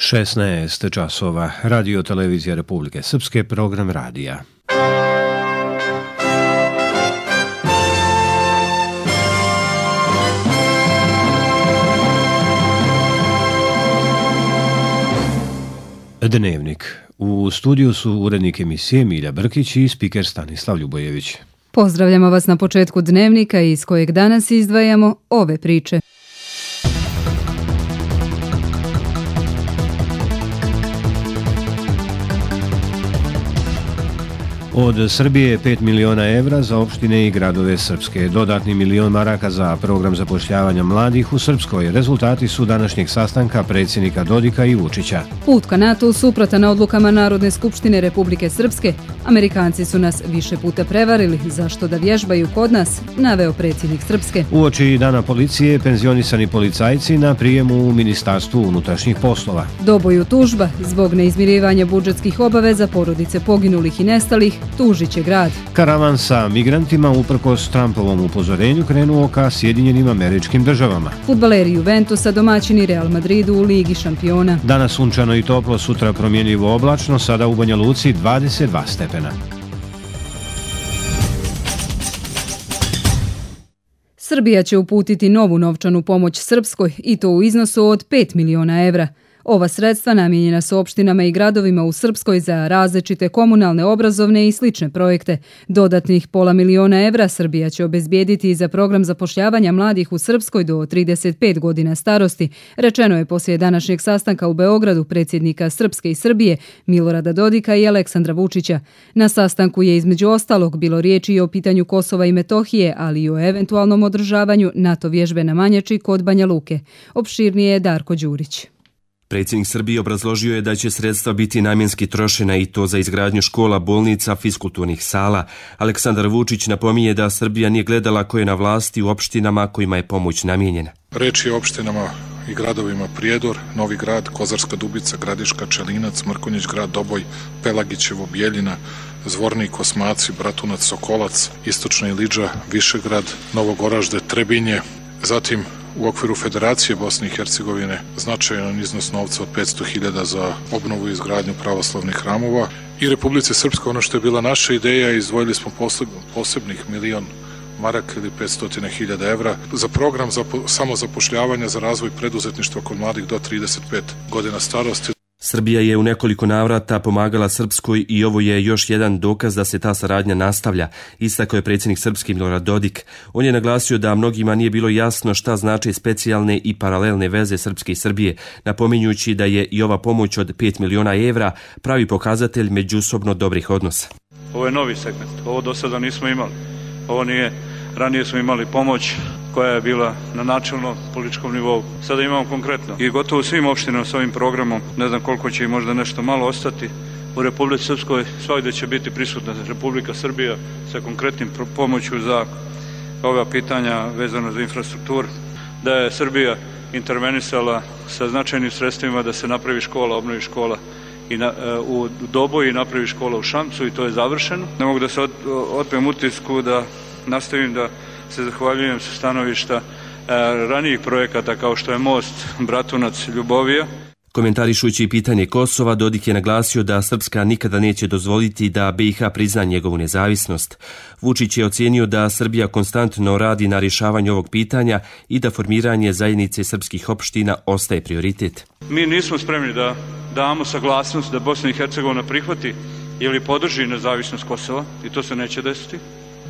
16 časova. Radio Televizija Republike Srpske, program radija. Dnevnik. U studiju su urednik emisije Milja Brkić i spiker Stanislav Ljubojević. Pozdravljamo vas na početku Dnevnika iz kojeg danas izdvajamo ove priče. Od Srbije 5 miliona evra za opštine i gradove Srpske, dodatni milion maraka za program zapošljavanja mladih u Srpskoj. Rezultati su današnjeg sastanka predsjednika Dodika i Vučića. Put ka NATO suprotan odlukama Narodne skupštine Republike Srpske. Amerikanci su nas više puta prevarili, zašto da vježbaju kod nas, naveo predsjednik Srpske. Uoči dana policije, penzionisani policajci na prijemu u Ministarstvu unutrašnjih poslova. Doboju tužba zbog neizmirivanja budžetskih obaveza porodice poginulih i nestalih, tužit će grad. Karavan sa migrantima uprkos Trumpovom upozorenju krenuo ka Sjedinjenim Američkim Državama. Fudbaleri Juventusa domaćini Real Madridu u Ligi šampiona. Danas sunčano i toplo, sutra promjenljivo oblačno, sada u Banja Luci 22 stepena. Srbija će uputiti novu novčanu pomoć Srpskoj i to u iznosu od 5 miliona evra. Ova sredstva namijenjena su opštinama i gradovima u Srpskoj za različite komunalne, obrazovne i slične projekte. Dodatnih pola miliona evra Srbija će obezbijediti za program zapošljavanja mladih u Srpskoj do 35 godina starosti, rečeno je poslije današnjeg sastanka u Beogradu predsjednika Srpske i Srbije Milorada Dodika i Aleksandra Vučića. Na sastanku je između ostalog bilo riječi i o pitanju Kosova i Metohije, ali i o eventualnom održavanju NATO vježbe na Manjači kod Banja Luke. Opširnije je Darko Đurić. Predsjednik Srbije obrazložio je da će sredstva biti namjenski trošena i to za izgradnju škola, bolnica, fiskulturnih sala. Aleksandar Vučić napominje da Srbija nije gledala ko je na vlasti u opštinama kojima je pomoć namijenjena. Reč je o opštinama i gradovima Prijedor, Novi Grad, Kozarska Dubica, Gradiška, Čelinac, Mrkonjić Grad, Doboj, Pelagićevo, Bijeljina, Zvornik, Osmaci, Bratunac, Sokolac, Istočna Ilidža, Višegrad, Novogoražde, Trebinje, zatim u okviru Federacije Bosne i Hercegovine značajan iznos novca od 500.000 za obnovu i izgradnju pravoslavnih hramova i Republice Srpske, ono što je bila naša ideja, izdvojili smo posebnih milion maraka ili 500.000 evra za program samozapošljavanja za razvoj preduzetništva kod mladih do 35 godina starosti. Srbija je u nekoliko navrata pomagala Srpskoj i ovo je još jedan dokaz da se ta saradnja nastavlja, istakao je predsjednik Srpske Milorad Dodik. On je naglasio da mnogima nije bilo jasno šta znače specijalne i paralelne veze Srpske i Srbije, napominjući da je i ova pomoć od 5 miliona evra pravi pokazatelj međusobno dobrih odnosa. Ovo je novi segment, ovo do sada nismo imali. Ovo nije, ranije smo imali pomoć koja je bila na načelno političkom nivou. Sada imamo konkretno i gotovo u svim opštinama s ovim programom, ne znam koliko će i možda nešto malo ostati. U Republici Srpskoj svakdje će biti prisutna Republika Srbija sa konkretnim pomoću za ova pitanja vezano za infrastrukturu. Da je Srbija intervenisala sa značajnim sredstvima da se napravi škola, obnovi škola u Doboju i napravi škola u Šamcu i to je završeno. Ne mogu da se otmem utisku da nastavim da se zahvaljujem sa stanovišta ranijih projekata kao što je most Bratunac-Ljubovija. Komentarišući pitanje Kosova, Dodik je naglasio da Srpska nikada neće dozvoliti da BiH prizna njegovu nezavisnost. Vučić je ocijenio da Srbija konstantno radi na rješavanju ovog pitanja i da formiranje zajednice srpskih opština ostaje prioritet. Mi nismo spremni da damo saglasnost da Bosna i Hercegovina prihvati ili podrži nezavisnost Kosova i to se neće desiti.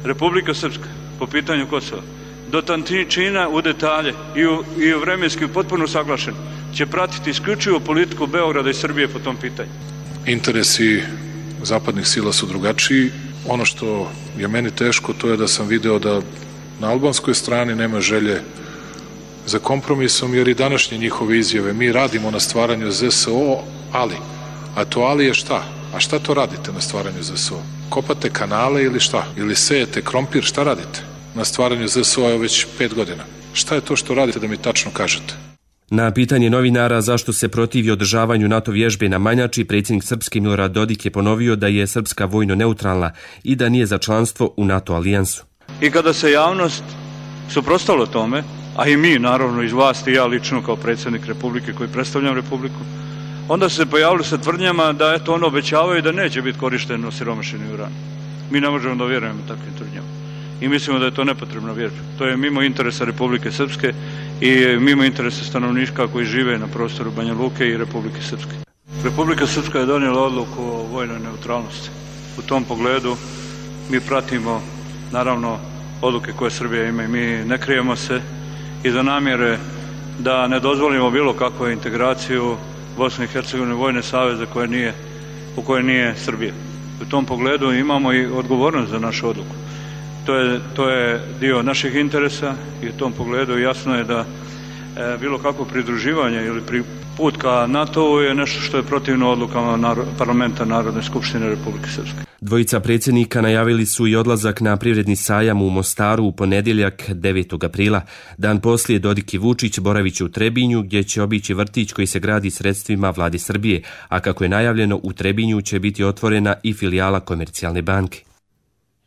Republika Srpska po pitanju Kosova do tančina u detalje i u vremenski potpuno saglašen će pratiti isključivo politiku Beograda i Srbije po tom pitanju. Interesi zapadnih sila su drugačiji. Ono što je meni teško to je da sam video da na albanskoj strani nema želje za kompromisom, jer i današnje njihove izjave mi radimo na stvaranju ZSO, a to ali je šta? A šta to radite na stvaranju ZSO? Kopate kanale ili šta? Ili sejete krompir, šta radite? Na stvaranju ZSO je već 5 godina. Šta je to što radite da mi tačno kažete? Na pitanje novinara zašto se protivi održavanju NATO vježbe na Manjači, predsjednik Srpske Milorad Dodik je ponovio da je Srpska vojno neutralna i da nije za članstvo u NATO alijansu. I kada se javnost suprotstavila tome, a i mi naravno iz vlasti, ja lično kao predsjednik Republike koji predstavljam Republiku, onda su se pojavili sa tvrdnjama da eto ono obećavaju da neće biti korišten osiromašeni uran. Mi ne možemo da vjerujemo takvim tvrdnjama i mislimo da je to nepotrebna vježba. To je mimo interesa Republike Srpske i mimo interesa stanovništva koji žive na prostoru Banja Luke i Republike Srpske. Republika Srpska je donijela odluku o vojnoj neutralnosti. U tom pogledu mi pratimo naravno odluke koje Srbija ima i mi ne krijemo se iza namjere da ne dozvolimo bilo kakvu integraciju Bosne i Hercegovine vojne saveze u kojoj nije Srbija. U tom pogledu imamo i odgovornost za našu odluku. To je dio naših interesa i u tom pogledu jasno je da bilo kakvo pridruživanje ili put ka NATO-u je nešto što je protivno odlukama parlamenta Narodne skupštine Republike Srpske. Dvojica predsjednika najavili su i odlazak na privredni sajam u Mostaru u ponedjeljak 9. aprila. Dan poslije Dodik i Vučić boravit će u Trebinju gdje će obići vrtić koji se gradi sredstvima vlade Srbije, a kako je najavljeno u Trebinju će biti otvorena i filijala Komercijalne banke.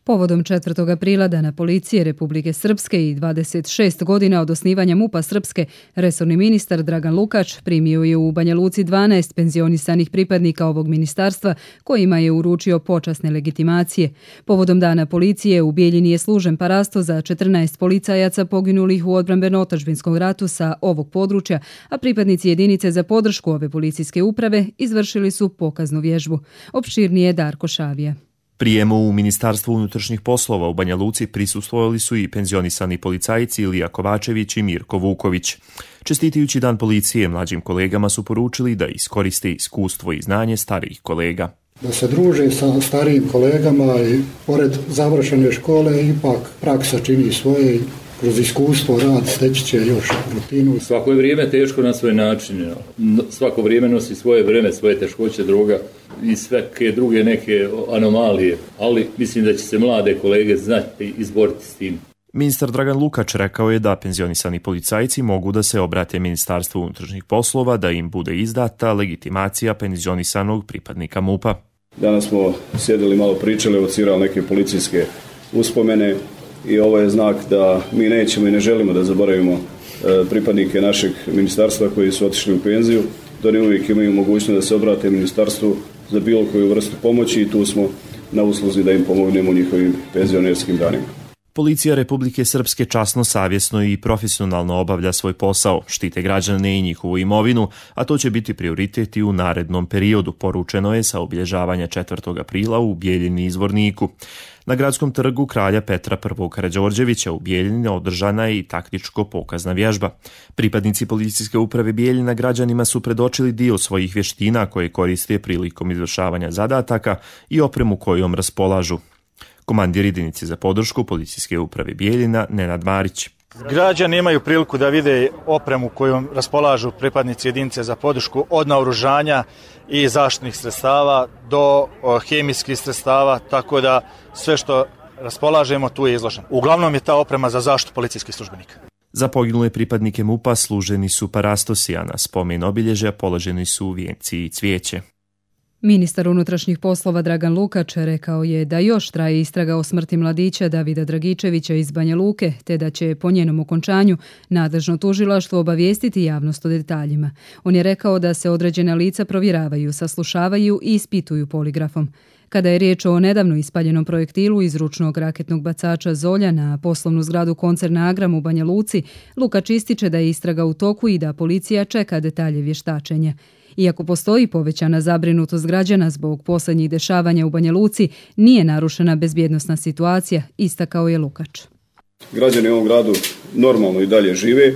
Povodom 4. aprila Dana policije Republike Srpske i 26 godina od osnivanja MUP-a Srpske, resorni ministar Dragan Lukač primio je u Banja Luci 12 penzionisanih pripadnika ovog ministarstva kojima je uručio počasne legitimacije. Povodom Dana policije u Bijeljini je služen parasto za 14 policajaca poginulih u odbrambeno-otadžbinskom ratu sa ovog područja, a pripadnici jedinice za podršku ove policijske uprave izvršili su pokaznu vježbu. Opširnije Darko Šavija. Prijemu u Ministarstvu unutrašnjih poslova u Banja Luci prisustvovali su i penzionisani policajci Ilija Kovačević i Mirko Vuković. Čestitajući Dan policije, mlađim kolegama su poručili da iskoriste iskustvo i znanje starijih kolega. Da se druže sa starijim kolegama i pored završene škole ipak praksa čini svoje. Kroz iskustvo, rad, steći će još rutinu. Svako je vrijeme teško na svoj način. Svako vrijeme nosi svoje vreme, svoje teškoće, droga i svake druge neke anomalije. Ali mislim da će se mlade kolege znati izboriti s tim. Ministar Dragan Lukač rekao je da penzionisani policajci mogu da se obrate Ministarstvu unutrašnjih poslova da im bude izdata legitimacija penzionisanog pripadnika MUP-a. Danas smo sjedili, malo pričali, evocirali neke policijske uspomene. I ovo je znak da mi nećemo i ne želimo da zaboravimo pripadnike našeg ministarstva koji su otišli u penziju, da oni uvijek imaju mogućnost da se obrate ministarstvu za bilo koju vrstu pomoći i tu smo na usluzi da im pomognemo u njihovim penzionerskim danima. Policija Republike Srpske časno, savjesno i profesionalno obavlja svoj posao, štite građane i njihovu imovinu, a to će biti prioritet i u narednom periodu, poručeno je sa obilježavanja 4. aprila u Bijeljini i Zvorniku. Na gradskom trgu kralja Petra I. Karađorđevića u Bijeljini održana je i taktičko-pokazna vježba. Pripadnici policijske uprave Bijeljina građanima su predočili dio svojih vještina koje koriste prilikom izvršavanja zadataka i opremu kojom raspolažu. Komandir jedinice za podršku policijske uprave Bijeljina Nenad Marić. Građani imaju priliku da vide opremu kojom raspolažu pripadnici jedinice za podršku od naoružanja i zaštitnih sredstava do hemijskih sredstava, tako da sve što raspolažemo tu je izloženo. Uglavnom je ta oprema za zaštitu policijskih službenika. Za poginule pripadnike MUP-a služeni su parastosi, a na spomen obilježja položeni su vijenci i cvijeće. Ministar unutrašnjih poslova Dragan Lukač rekao je da još traje istraga o smrti mladića Davida Dragičevića iz Banja Luke, te da će po njenom okončanju nadležno tužilaštvo obavijestiti javnost o detaljima. On je rekao da se određena lica provjeravaju, saslušavaju i ispituju poligrafom. Kada je riječ o nedavno ispaljenom projektilu iz ručnog raketnog bacača Zolja na poslovnu zgradu koncerna Agram u Banja Luci, Lukač ističe da je istraga u toku i da policija čeka detalje vještačenja. Iako postoji povećana zabrinutost građana zbog posljednjih dešavanja u Banja Luci, nije narušena bezbjednosna situacija, istakao je Lukač. Građani u ovom gradu normalno i dalje žive,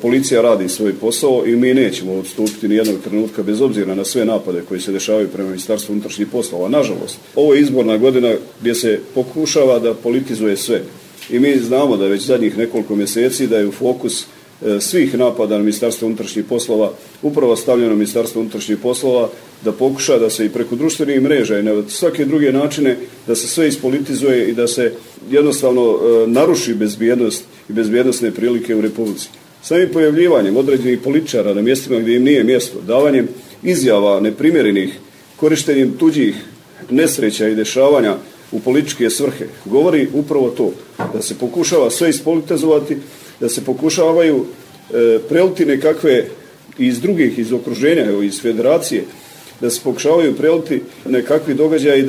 policija radi svoj posao i mi nećemo odstupiti ni jednog trenutka bez obzira na sve napade koji se dešavaju prema Ministarstvu unutrašnjih poslova. Nažalost, ovo je izborna godina gdje se pokušava da politizuje sve. I mi znamo da već zadnjih nekoliko mjeseci da je u fokus svih napada na Ministarstvo unutrašnjih poslova upravo stavljeno Ministarstvo unutrašnjih poslova da pokuša da se i preko društvenih mreža i na svake druge načine da se sve ispolitizuje i da se jednostavno naruši bezbjednost i bezbjednosne prilike u Republici. Samim pojavljivanjem određenih političara na mjestima gdje im nije mjesto, davanjem izjava neprimjerenih, korištenjem tuđih nesreća i dešavanja u političke svrhe, govori upravo to, da se pokušava sve ispolitizovati, da se pokušavaju preliti nekakve i iz drugih, iz okruženja, evo, iz federacije, da se pokušavaju preliti nekakvi događaji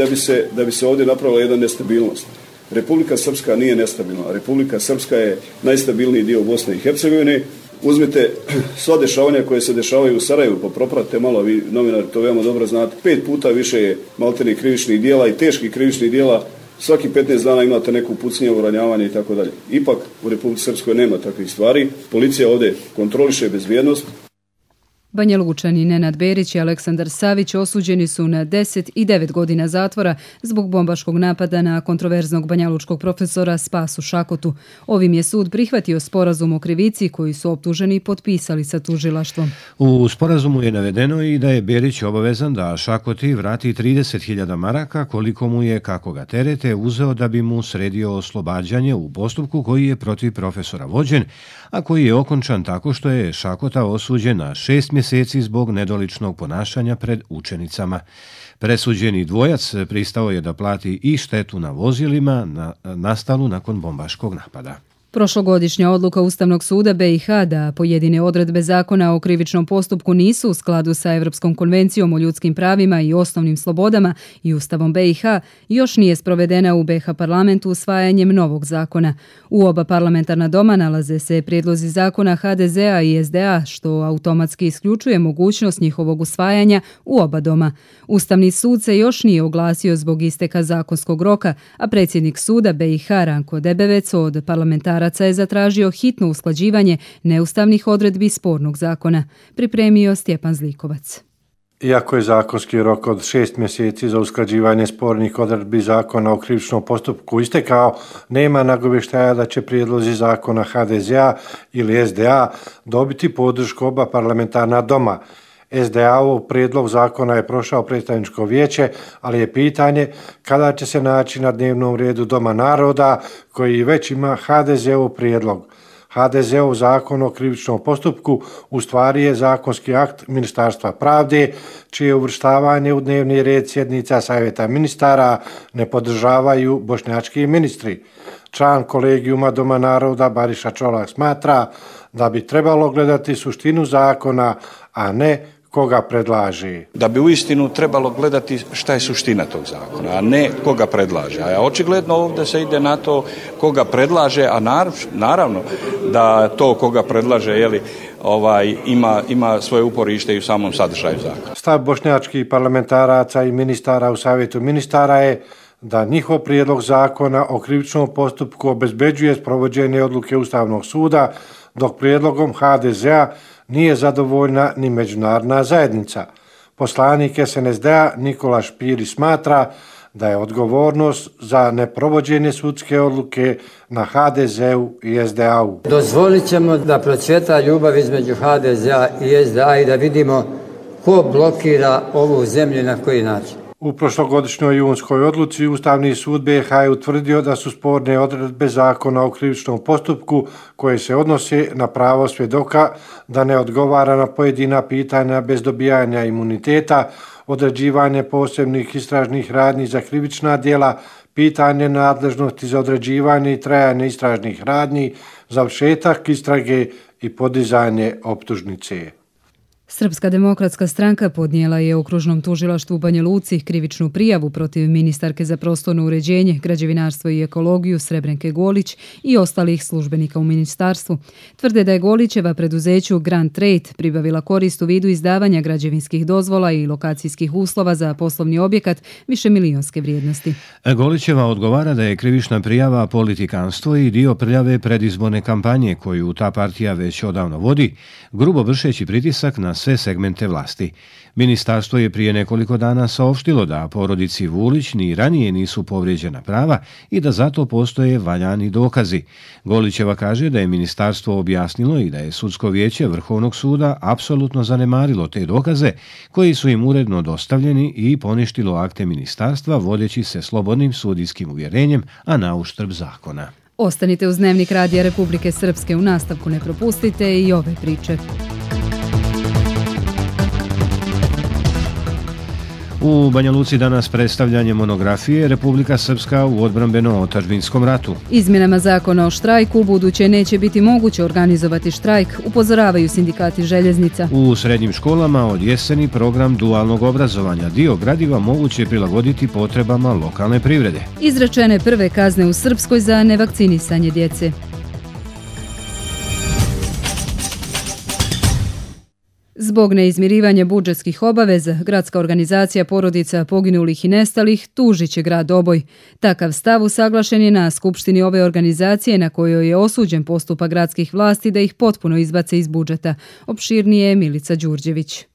da bi se ovdje napravila jedna nestabilnost. Republika Srpska nije nestabilna. Republika Srpska je najstabilniji dio Bosne i Hercegovine. Uzmite sva dešavanja koje se dešavaju u Sarajevu, pa propratite malo, vi novinari to veoma dobro znate. 5 puta više je maltene krivičnih dijela i teških krivičnih dijela. Svaki 15 dana imate neku pucnjavu, ranjavanje i tako dalje. Ipak u Republici Srpskoj nema takvih stvari. Policija ovdje kontroliše bezbjednost. Banja Lučani Nenad Berić i Aleksandar Savić osuđeni su na 10 i 9 godina zatvora zbog bombaškog napada na kontroverznog banjalučkog profesora Spasu Šakotu. Ovim je sud prihvatio sporazum o krivici koji su optuženi potpisali sa tužilaštvom. U sporazumu je navedeno i da je Berić obavezan da Šakoti vrati 30.000 maraka koliko mu je, kako ga terete, uzeo da bi mu sredio oslobađanje u postupku koji je protiv profesora vođen, a koji je okončan tako što je Šakota osuđen na 6 mjeseci zbog nedoličnog ponašanja pred učenicama. Presuđeni dvojac pristao je da plati i štetu na vozilima nastalu nakon bombaškog napada. Prošlogodišnja odluka Ustavnog suda BiH da pojedine odredbe zakona o krivičnom postupku nisu u skladu sa Europskom konvencijom o ljudskim pravima i osnovnim slobodama i Ustavom BiH još nije sprovedena u BiH parlamentu usvajanjem novog zakona. U oba parlamentarna doma nalaze se prijedlozi zakona HDZ-a i SDA, što automatski isključuje mogućnost njihovog usvajanja u oba doma. Ustavni sud se još nije oglasio zbog isteka zakonskog roka, a predsjednik suda BiH Ranko Debevec od parlamentara je zatražio hitno usklađivanje neustavnih odredbi spornog zakona. Pripremio Stjepan Zlikovac. Iako je zakonski rok od 6 mjeseci za usklađivanje spornih odredbi zakona o krivičnom postupku istekao, nema nagovještaja da će prijedlozi zakona HDZ-a ili SDA dobiti podršku oba parlamentarna doma. SDA-ov prijedlog zakona je prošao predstavničko vijeće, ali je pitanje kada će se naći na dnevnom redu Doma naroda koji već ima HDZ-ov prijedlog. HDZ-ov zakon o krivičnom postupku u stvari je zakonski akt Ministarstva pravde, čije uvrštavanje u dnevni red sjednica Savjeta ministara ne podržavaju bošnjački ministri. Član kolegijuma Doma naroda Bariša Čolak smatra da bi trebalo gledati suštinu zakona, a ne koga predlaže. Da bi uistinu trebalo gledati šta je suština tog zakona, a ne koga predlaže. A očigledno ovdje se ide na to koga predlaže, a naravno da to koga predlaže ima svoje uporište i u samom sadržaju zakona. Stav bošnjačkih parlamentaraca i ministara u Savjetu ministara je da njihov prijedlog zakona o krivičnom postupku obezbeđuje sprovođenje odluke Ustavnog suda, dok prijedlogom HDZ-a nije zadovoljna ni međunarodna zajednica. Poslanik SNSD-a Nikola Špiri smatra da je odgovornost za neprovođenje sudske odluke na HDZ-u i SDA-u. Dozvolit ćemo da procvjeta ljubav između HDZ-a i SDA i da vidimo ko blokira ovu zemlju i na koji način. U prošlogodišnjoj junskoj odluci Ustavni sud BiH je utvrdio da su sporne odredbe zakona o krivičnom postupku koje se odnose na pravo svjedoka da ne odgovara na pojedina pitanja bez dobijanja imuniteta, određivanje posebnih istražnih radnji za krivična djela, pitanje nadležnosti za određivanje i trajanje istražnih radnji, završetak istrage i podizanje optužnice. Srpska demokratska stranka podnijela je okružnom tužilaštvu u Banja Luci krivičnu prijavu protiv ministarke za prostorno uređenje, građevinarstvo i ekologiju Srebrenke Golić i ostalih službenika u ministarstvu. Tvrde da je Golićeva preduzeću Grand Trade pribavila korist u vidu izdavanja građevinskih dozvola i lokacijskih uslova za poslovni objekat višemilijonske vrijednosti. Golićeva odgovara da je krivična prijava politikanstvo i dio prljave predizborne kampanje koju ta partija već odavno vodi, grubo vršeći pritisak na sve segmente vlasti. Ministarstvo je prije nekoliko dana saopštilo da porodici Vulić ni ranije nisu povrijeđena prava i da zato postoje valjani dokazi. Golićeva kaže da je ministarstvo objasnilo i da je sudsko vijeće Vrhovnog suda apsolutno zanemarilo te dokaze koji su im uredno dostavljeni i poništilo akte ministarstva vodeći se slobodnim sudijskim uvjerenjem, a na uštrb zakona. Ostanite uz Dnevnik Radija Republike Srpske, u nastavku ne propustite i ove priče. U Banja Luci danas predstavljanje monografije Republika Srpska u odbrambeno-otadžbinskom ratu. Izmjenama zakona o štrajku u buduće neće biti moguće organizovati štrajk, upozoravaju sindikati željeznica. U srednjim školama od jeseni program dualnog obrazovanja. Dio gradiva moguće je prilagoditi potrebama lokalne privrede. Izrečene prve kazne u Srpskoj za nevakcinisanje djece. Zbog neizmirivanja budžetskih obaveza, gradska organizacija porodica poginulih i nestalih tužit će grad Doboj. Takav stav usaglašen je na skupštini ove organizacije na kojoj je osuđen postupak gradskih vlasti da ih potpuno izbace iz budžeta. Opširnije Milica Đurđević.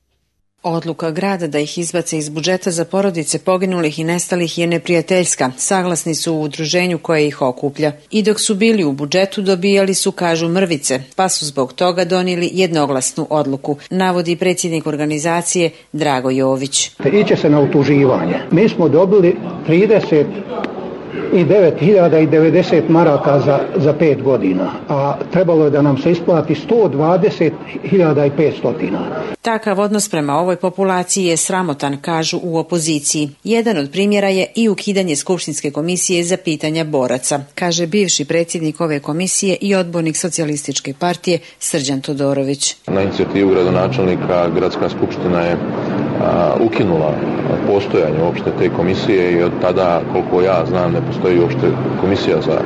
Odluka grada da ih izbace iz budžeta za porodice poginulih i nestalih je neprijateljska, saglasni su u udruženju koje ih okuplja. I dok su bili u budžetu dobijali su, kažu, mrvice, pa su zbog toga donijeli jednoglasnu odluku, navodi predsjednik organizacije Drago Jović. Iće se na utuživanje. Mi smo dobili 39.090 maraka za 5 godina, a trebalo je da nam se isplati 120.500. Takav odnos prema ovoj populaciji je sramotan, kažu u opoziciji. Jedan od primjera je i ukidanje Skupštinske komisije za pitanja boraca, kaže bivši predsjednik ove komisije i odbornik Socijalističke partije Srđan Todorović. Na inicijativu gradonačelnika Gradska skupština je ukinula postojanje uopšte te komisije i od tada, koliko ja znam, ne postoji uopšte komisija za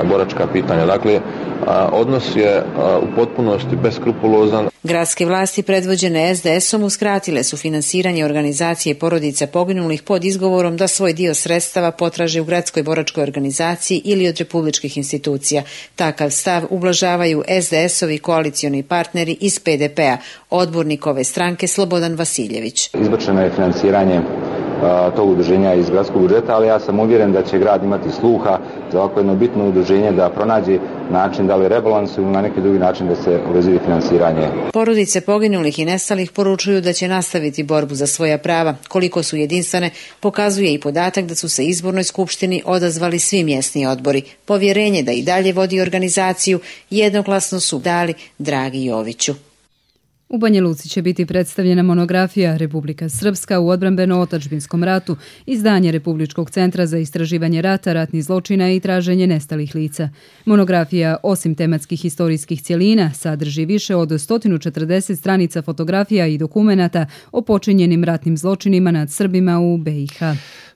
boračka pitanja. Dakle, odnos je u potpunosti beskrupulozan. Gradske vlasti predvođene SDS-om uskratile su finansiranje organizacije porodica poginulih pod izgovorom da svoj dio sredstava potraže u gradskoj boračkoj organizaciji ili od republičkih institucija. Takav stav ublažavaju SDS-ovi koalicioni partneri iz PDP-a, odbornik ove stranke Slobodan Vasiljević. Izbačeno je finansiranje tog udruženja iz gradskog budžeta, ali ja sam uvjeren da će grad imati sluha za ovako jedno bitno udruženje da pronađe način da li rebalansu ili na neki drugi način da se obezbedi finansiranje. Porodice poginulih i nestalih poručuju da će nastaviti borbu za svoja prava. Koliko su jedinstvene, pokazuje i podatak da su se izbornoj skupštini odazvali svi mjesni odbori. Povjerenje da i dalje vodi organizaciju jednoglasno su dali Dragi Joviću. U Banja Luci će biti predstavljena monografija Republika Srpska u odbrambeno-otadžbinskom ratu, izdanje Republičkog centra za istraživanje rata, ratnih zločina i traženje nestalih lica. Monografija, osim tematskih historijskih cjelina, sadrži više od 140 stranica fotografija i dokumenata o počinjenim ratnim zločinima nad Srbima u BiH.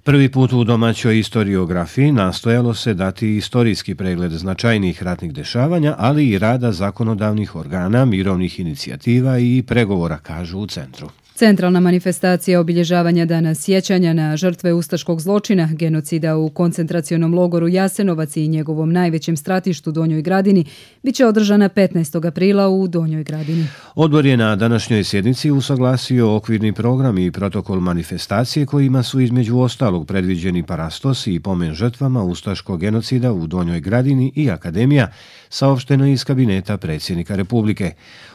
Prvi put u domaćoj historiografiji nastojalo se dati istorijski pregled značajnih ratnih dešavanja, ali i rada zakonodavnih organa, mirovnih inicijativa i pregovora, kažu u centru. Centralna manifestacija obilježavanja dana sjećanja na žrtve ustaškog zločina, genocida u koncentracionom logoru Jasenovac i njegovom najvećem stratištu Donjoj Gradini biće održana 15. aprila u Donjoj Gradini. Odbor je na današnjoj sjednici usaglasio okvirni program i protokol manifestacije kojima su između ostalog predviđeni parastos i pomen žrtvama ustaškog genocida u Donjoj Gradini i Akademija, saopšteno iz kabineta predsjednika Republike.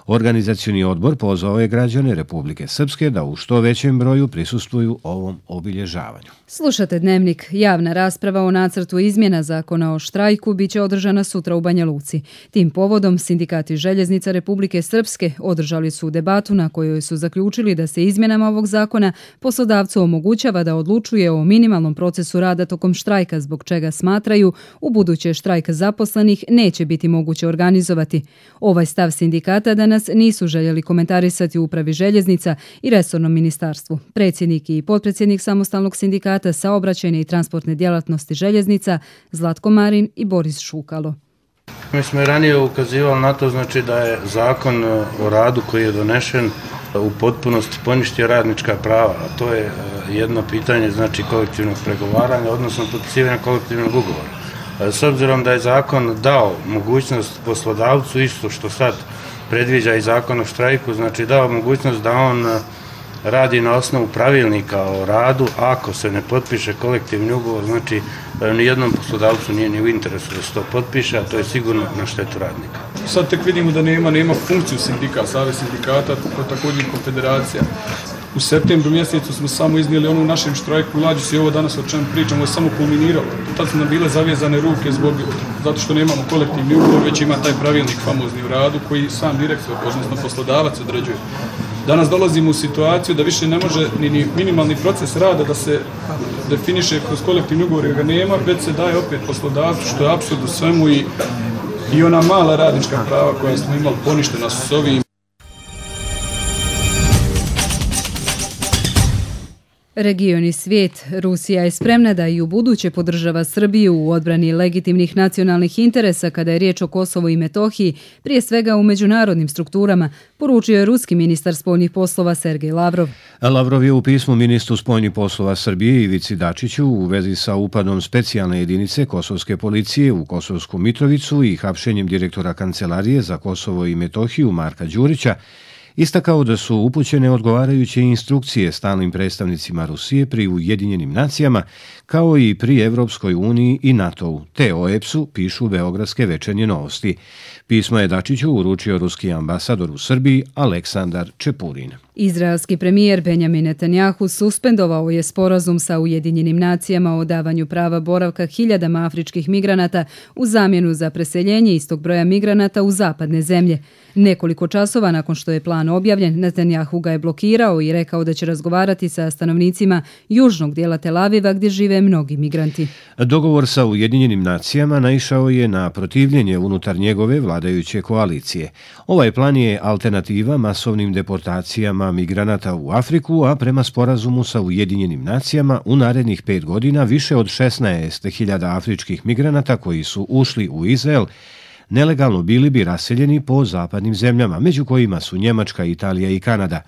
Organizacioni odbor pozvao je građane Republike Srpske da u što većem broju prisustvuju ovom obilježavanju. Slušate Dnevnik. Javna rasprava o nacrtu izmjena zakona o štrajku biće održana sutra u Banja Luci. Tim povodom sindikati željeznica Republike Srpske održali su debatu na kojoj su zaključili da se izmjenama ovog zakona poslodavcu omogućava da odlučuje o minimalnom procesu rada tokom štrajka, zbog čega smatraju u buduće štrajk zaposlenih neće biti moguće organizovati. Ovaj stav sindikata danas nisu željeli komentarisati u upravi željeznica i resornom ministarstvu. Predsjednik i potpredsjednik samostalnog sindikata saobraćajne i transportne djelatnosti željeznica Zlatko Marin i Boris Šukalo. Mi smo i ranije ukazivali na to, znači da je zakon o radu koji je donešen u potpunosti poništio radnička prava, a to je jedno pitanje, znači kolektivnog pregovaranja, odnosno potpisivanja kolektivnog ugovora. S obzirom da je zakon dao mogućnost poslodavcu, isto što sad predviđa i zakon o štrajku, znači dao mogućnost da on radi na osnovu pravilnika o radu, ako se ne potpiše kolektivni ugovor, znači nijednom poslodavcu nije ni u interesu da se to potpiše, a to je sigurno na štetu radnika. Sad tek vidimo da nema funkciju sindikata, savez sindikata, također konfederacija. U septembru mjesecu smo samo iznijeli ono u našem štrajku, lađu se i ovo danas o čem pričamo, je samo kulminiralo. Tad su nam bile zavezane ruke zato što nemamo kolektivni ugovor, već ima taj pravilnik famozni u radu koji sam direktor, odnosno poslodavac određuje. Danas dolazimo u situaciju da više ne može ni minimalni proces rada da se definiše kroz kolektivni ugovor jer ga nema, već se daje opet poslodavcu, što je apsurd u svemu i ona mala radnička prava koja smo imali poništena su s ovim. Region i svijet. Rusija je spremna da i u buduće podržava Srbiju u odbrani legitimnih nacionalnih interesa kada je riječ o Kosovu i Metohiji, prije svega u međunarodnim strukturama, poručio je ruski ministar spoljnih poslova Sergej Lavrov. Lavrov je u pismu ministru spoljnih poslova Srbije Ivici Dačiću u vezi sa upadom specijalne jedinice kosovske policije u Kosovsku Mitrovicu i hapšenjem direktora Kancelarije za Kosovo i Metohiju Marka Đurića istakao da su upućene odgovarajuće instrukcije stalnim predstavnicima Rusije pri Ujedinjenim nacijama, kao i pri Evropskoj uniji i NATO-u, te OEPS-u, pišu beogradske Večernje novosti. Pismo je Dačiću uručio ruski ambasador u Srbiji Aleksandar Čepurin. Izraelski premijer Benjamin Netanjahu suspendovao je sporazum sa Ujedinjenim nacijama o davanju prava boravka hiljadama afričkih migranata u zamjenu za preseljenje istog broja migranata u zapadne zemlje. Nekoliko časova nakon što je plan objavljen, Netanjahu ga je blokirao i rekao da će razgovarati sa stanovnicima južnog dijela Tel Aviva gdje žive mnogi migranti. Dogovor sa Ujedinjenim nacijama naišao je na protivljenje unutar njegove vladajuće koalicije. Ovaj plan je alternativa masovnim deportacijama migranata u Afriku, a prema sporazumu sa Ujedinjenim nacijama u narednih 5 godina više od 16.000 afričkih migranata koji su ušli u Izrael nelegalno bili bi raseljeni po zapadnim zemljama, među kojima su Njemačka, Italija i Kanada.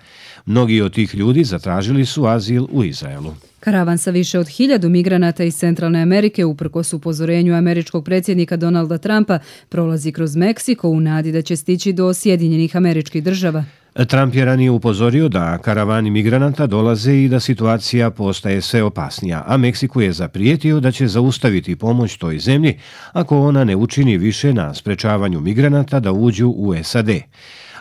Mnogi od tih ljudi zatražili su azil u Izraelu. Karavan sa više od 1000 migranata iz Centralne Amerike, uprkos upozorenju američkog predsjednika Donalda Trumpa, prolazi kroz Meksiko u nadi da će stići do Sjedinjenih Američkih Država. Trump je ranije upozorio da karavani migranata dolaze i da situacija postaje sve opasnija, a Meksiku je zaprijetio da će zaustaviti pomoć toj zemlji ako ona ne učini više na sprečavanju migranata da uđu u SAD.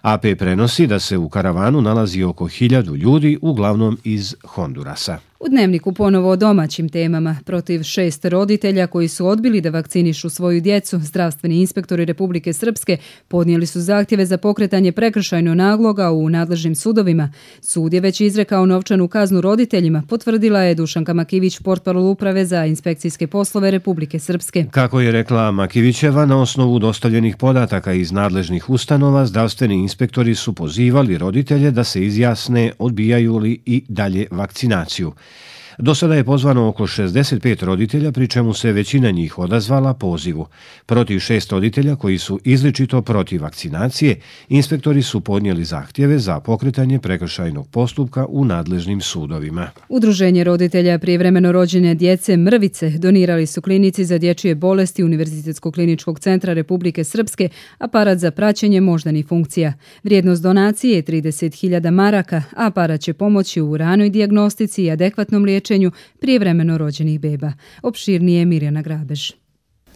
AP prenosi da se u karavanu nalazi oko 1000 ljudi, uglavnom iz Hondurasa. U Dnevniku ponovo o domaćim temama. Protiv 6 roditelja koji su odbili da vakcinišu svoju djecu, zdravstveni inspektori Republike Srpske podnijeli su zahtjeve za pokretanje prekršajnog naloga u nadležnim sudovima. Sud je već izrekao novčanu kaznu roditeljima, potvrdila je Dušanka Makivić, portparol Uprave za inspekcijske poslove Republike Srpske. Kako je rekla Makivićeva, na osnovu dostavljenih podataka iz nadležnih ustanova, zdravstveni inspektori su pozivali roditelje da se izjasne odbijaju li i dalje vakcinaciju. Do sada je pozvano oko 65 roditelja, pri čemu se većina njih odazvala pozivu. Protiv 6 roditelja koji su izričito protiv vakcinacije, inspektori su podnijeli zahtjeve za pokretanje prekršajnog postupka u nadležnim sudovima. Udruženje roditelja prijevremeno rođene djece Mrvice donirali su klinici za dječje bolesti Univerzitetskog kliničkog centra Republike Srpske aparat za praćenje moždanih funkcija. Vrijednost donacije je 30.000 maraka, a aparat će pomoći u ranoj dijagnostici i adekvatnom liječenju prijevremeno rođenih beba. Opširnije Mirjana Grabež.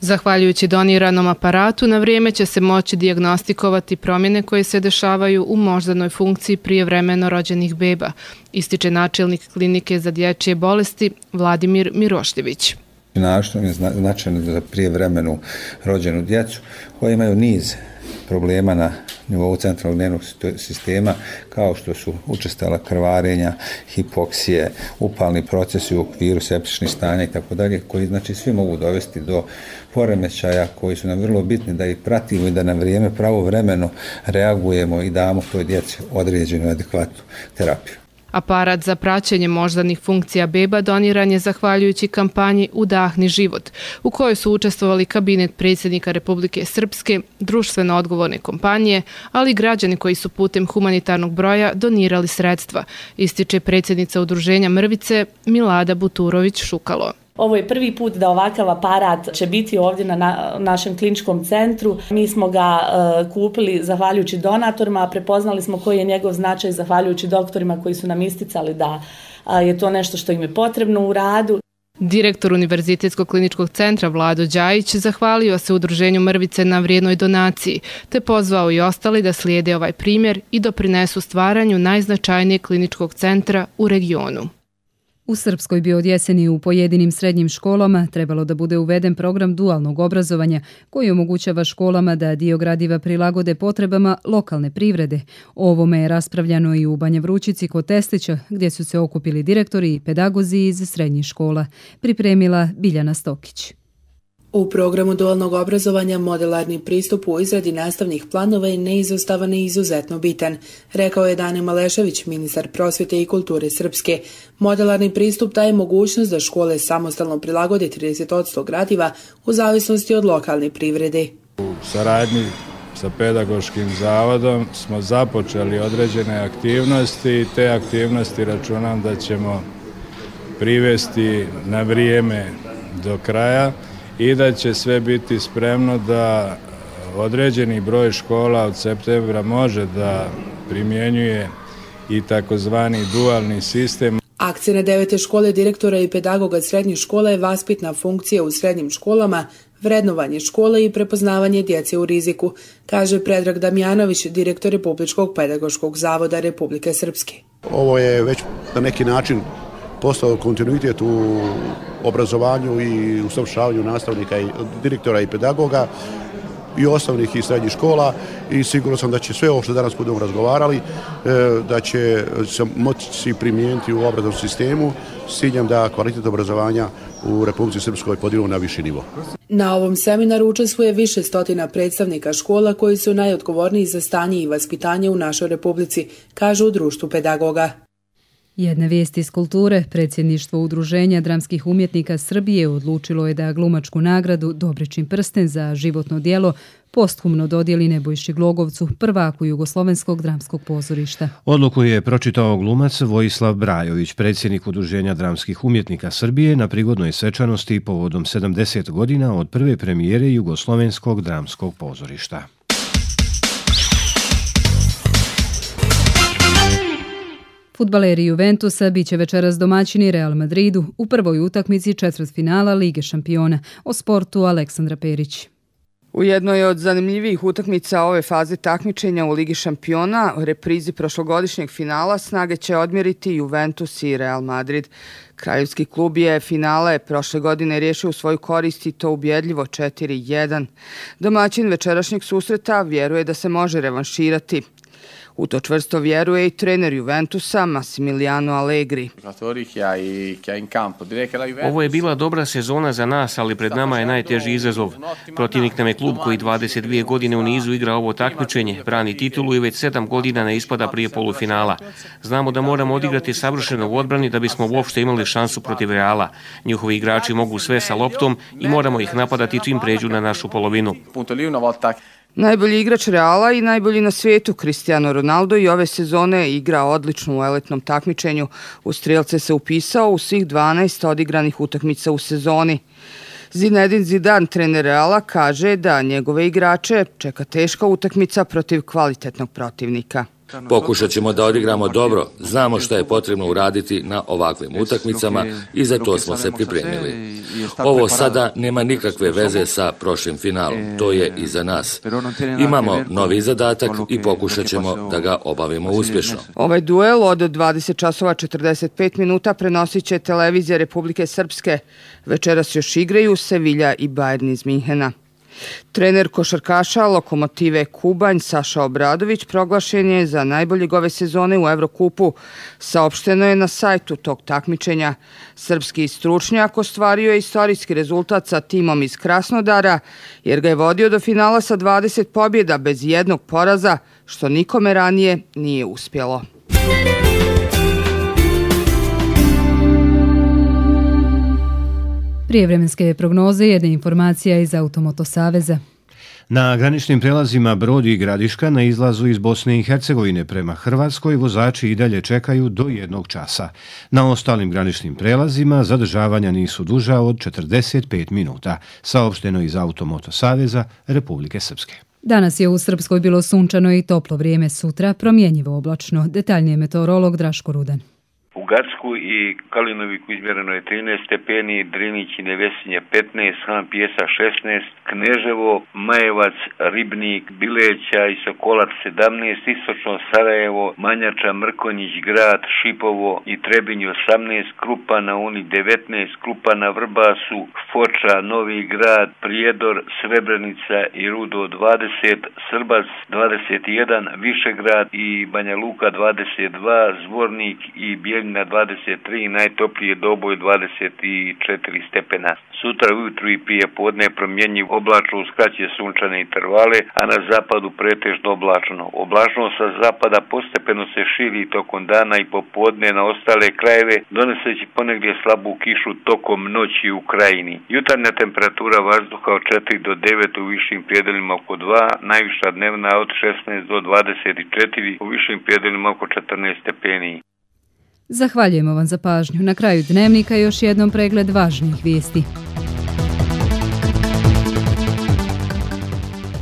Zahvaljujući doniranom aparatu, na vrijeme će se moći dijagnostikovati promjene koje se dešavaju u moždanoj funkciji prijevremeno rođenih beba, ističe načelnik klinike za dječje bolesti Vladimir Mirošljević. Našto je značajno za prijevremenu rođenu djecu koja imaju niz problema na nivou centralnog nervnog sistema, kao što su učestala krvarenja, hipoksije, upalni procesi u okviru septičnih stanja itd., koji znači svi mogu dovesti do poremećaja koji su nam vrlo bitni da ih pratimo i da na vrijeme pravovremeno reagujemo i damo toj djeci određenu adekvatnu terapiju. Aparat za praćenje moždanih funkcija beba doniran je zahvaljujući kampanji Udahni život, u kojoj su učestvovali kabinet predsjednika Republike Srpske, društveno odgovorne kompanije, ali i građani koji su putem humanitarnog broja donirali sredstva, ističe predsjednica udruženja Mrvice Milada Buturović-Šukalo. Ovo je prvi put da ovakav aparat će biti ovdje na našem kliničkom centru. Mi smo ga kupili zahvaljujući donatorima, a prepoznali smo koji je njegov značaj zahvaljujući doktorima koji su nam isticali da je to nešto što im je potrebno u radu. Direktor Univerzitetskog kliničkog centra Vlado Đajić zahvalio se udruženju Mrvice na vrijednoj donaciji, te pozvao i ostali da slijede ovaj primjer i doprinesu stvaranju najznačajnijeg kliničkog centra u regionu. U Srpskoj bi od jeseni u pojedinim srednjim školama trebalo da bude uveden program dualnog obrazovanja koji omogućava školama da dio gradiva prilagode potrebama lokalne privrede. O ovome je raspravljano i u Banja Vrućici kod Testića, gdje su se okupili direktori i pedagozi iz srednjih škola. Pripremila Biljana Stokić. U programu dualnog obrazovanja modelarni pristup u izradi nastavnih planova je neizostavan i izuzetno bitan, rekao je Dane Malešević, ministar prosvjete i kulture Srpske. Modelarni pristup daje mogućnost da škole samostalno prilagode 30% gradiva u zavisnosti od lokalne privrede. U saradnji sa pedagoškim zavodom smo započeli određene aktivnosti i te aktivnosti računam da ćemo privesti na vrijeme do kraja i da će sve biti spremno da određeni broj škola od septembra može da primjenjuje i takozvani dualni sistem. Akcija 9. škole direktora i pedagoga srednjih škola je vaspitna funkcija u srednjim školama, vrednovanje škole i prepoznavanje djece u riziku, kaže Predrag Damjanović, direktor Republičkog pedagoškog zavoda Republike Srpske. Ovo je već na neki način postao kontinuitet u obrazovanju i usavršavanju nastavnika, i direktora i pedagoga i osnovnih i srednjih škola i sigurno sam da će sve ovo što danas budemo razgovarali da će se moći primijeniti u obrazovnom sistemu s ciljem da kvalitet obrazovanja u Republici Srpskoj podignemo na viši nivo. Na ovom seminaru učestvuje više stotina predstavnika škola koji su najodgovorniji za stanje i vaspitanje u našoj Republici, kažu u Društvu pedagoga. Jedna vijest iz kulture. Predsjedništvo Udruženja dramskih umjetnika Srbije odlučilo je da glumačku nagradu Dobričin prsten za životno djelo posthumno dodijeli Nebojši Glogovcu, prvaku Jugoslovenskog dramskog pozorišta. Odluku je pročitao glumac Vojislav Brajović, predsjednik Udruženja dramskih umjetnika Srbije, na prigodnoj svečanosti povodom 70 godina od prve premijere Jugoslovenskog dramskog pozorišta. Fudbaleri Juventusa biće večeras domaćini Real Madridu u prvoj utakmici četvrtfinala Lige šampiona. O sportu Aleksandra Perić. U jednoj od zanimljivijih utakmica ove faze takmičenja u Ligi šampiona, reprizi prošlogodišnjeg finala, snage će odmjeriti Juventus i Real Madrid. Kraljevski klub je finale prošle godine riješio u svoju korist i to ubjedljivo 4-1. Domaćin večerašnjeg susreta vjeruje da se može revanširati. U to čvrsto vjeruje i trener Juventusa Massimiliano Allegri. Ovo je bila dobra sezona za nas, ali pred nama je najteži izazov. Protivnik nam je klub koji 22 godine u nizu igra ovo takmičenje, brani titulu i već 7 godina ne ispada prije polufinala. Znamo da moramo odigrati savršeno u odbrani da bismo uopšte imali šansu protiv Reala. Njihovi igrači mogu sve sa loptom i moramo ih napadati čim pređu na našu polovinu. Najbolji igrač Reala i najbolji na svijetu Cristiano Ronaldo i ove sezone igra odlično u eletnom takmičenju. U strijelce se upisao u svih 12 odigranih utakmica u sezoni. Zinedine Zidane, trener Reala, kaže da njegove igrače čeka teška utakmica protiv kvalitetnog protivnika. Pokušat ćemo da odigramo dobro, znamo što je potrebno uraditi na ovakvim utakmicama i za to smo se pripremili. Ovo sada nema nikakve veze sa prošlim finalom, to je i za nas. Imamo novi zadatak i pokušat ćemo da ga obavimo uspješno. Ovaj duel od 20:45 prenosit će televizija Republike Srpske. Večeras još igraju Sevilla i Bayern iz Minhena. Trener košarkaša Lokomotive Kubanj Saša Obradović proglašen je za najboljeg ove sezone u Evrokupu. Saopšteno je na sajtu tog takmičenja. Srpski stručnjak ostvario je istorijski rezultat sa timom iz Krasnodara, jer ga je vodio do finala sa 20 pobjeda bez jednog poraza, što nikome ranije nije uspjelo. Prijevremenske prognoze, jedna informacija iz Automoto Saveza. Na graničnim prelazima Brod i Gradiška na izlazu iz Bosne i Hercegovine prema Hrvatskoj vozači i dalje čekaju do 1 časa. Na ostalim graničnim prelazima zadržavanja nisu duža od 45 minuta, saopšteno iz Automoto Saveza Republike Srpske. Danas je u Srpskoj bilo sunčano i toplo vrijeme, sutra promjenjivo oblačno. Detaljnije meteorolog Draško Rudan. U Gacku i Kalinoviku izmjereno je 13 stepeni, Drinić i Nevesinje 15, Han Pjesa 16, Kneževo, Majevac, Ribnik, Bileća i Sokolac 17, istočno Sarajevo, Manjača, Mrkonjić, Grad, Šipovo i Trebinj 18, Krupa na Uni 19, Krupa na Vrbasu, Foča, Novi Grad, Prijedor, Srebrenica i Rudo 20, Srbac 21, Višegrad i Banja Luka 22, Zvornik i Bijeljina 23, najtoplije Doboj 24 stepena. Sutra ujutru i prije podne promjenjiv oblačno uz kraće sunčane intervale, a na zapadu pretežno oblačno. Oblačnost sa zapada postepeno se širi tokom dana i popodne na ostale krajeve, doneseći ponegdje slabu kišu tokom noći u krajini. Jutarnja temperatura vazduha od 4 do 9, u višim predelima oko 2, najviša dnevna od 16 do 24, u višim predelima oko 14 stepeni. Zahvaljujemo vam za pažnju. Na kraju dnevnika još jednom pregled važnijih vijesti.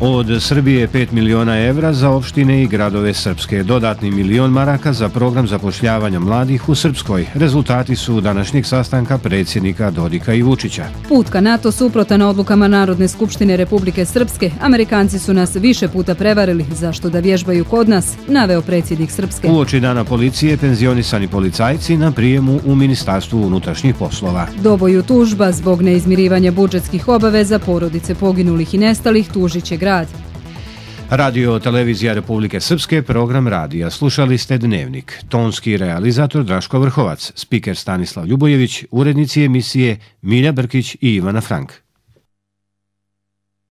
Od Srbije 5 miliona evra za opštine i gradove Srpske. Dodatni milion maraka za program zapošljavanja mladih u Srpskoj. Rezultati su današnjeg sastanka predsjednika Dodika i Vučića. Put ka NATO suprotan odlukama Narodne skupštine Republike Srpske. Amerikanci su nas više puta prevarili. Zašto da vježbaju kod nas? Naveo predsjednik Srpske. Uoči dana policije penzionisani policajci na prijemu u Ministarstvu unutrašnjih poslova. Doboju tužba zbog neizmirivanja budžetskih obaveza porodice poginulih i nestalih tužit će grad. Radio Televizija Republike Srpske, program radija. Slušali ste Dnevnik. Tonski realizator Draško Vrhovac, spiker Stanislav Ljubojević, urednici emisije Milja Brkić i Ivana Frank.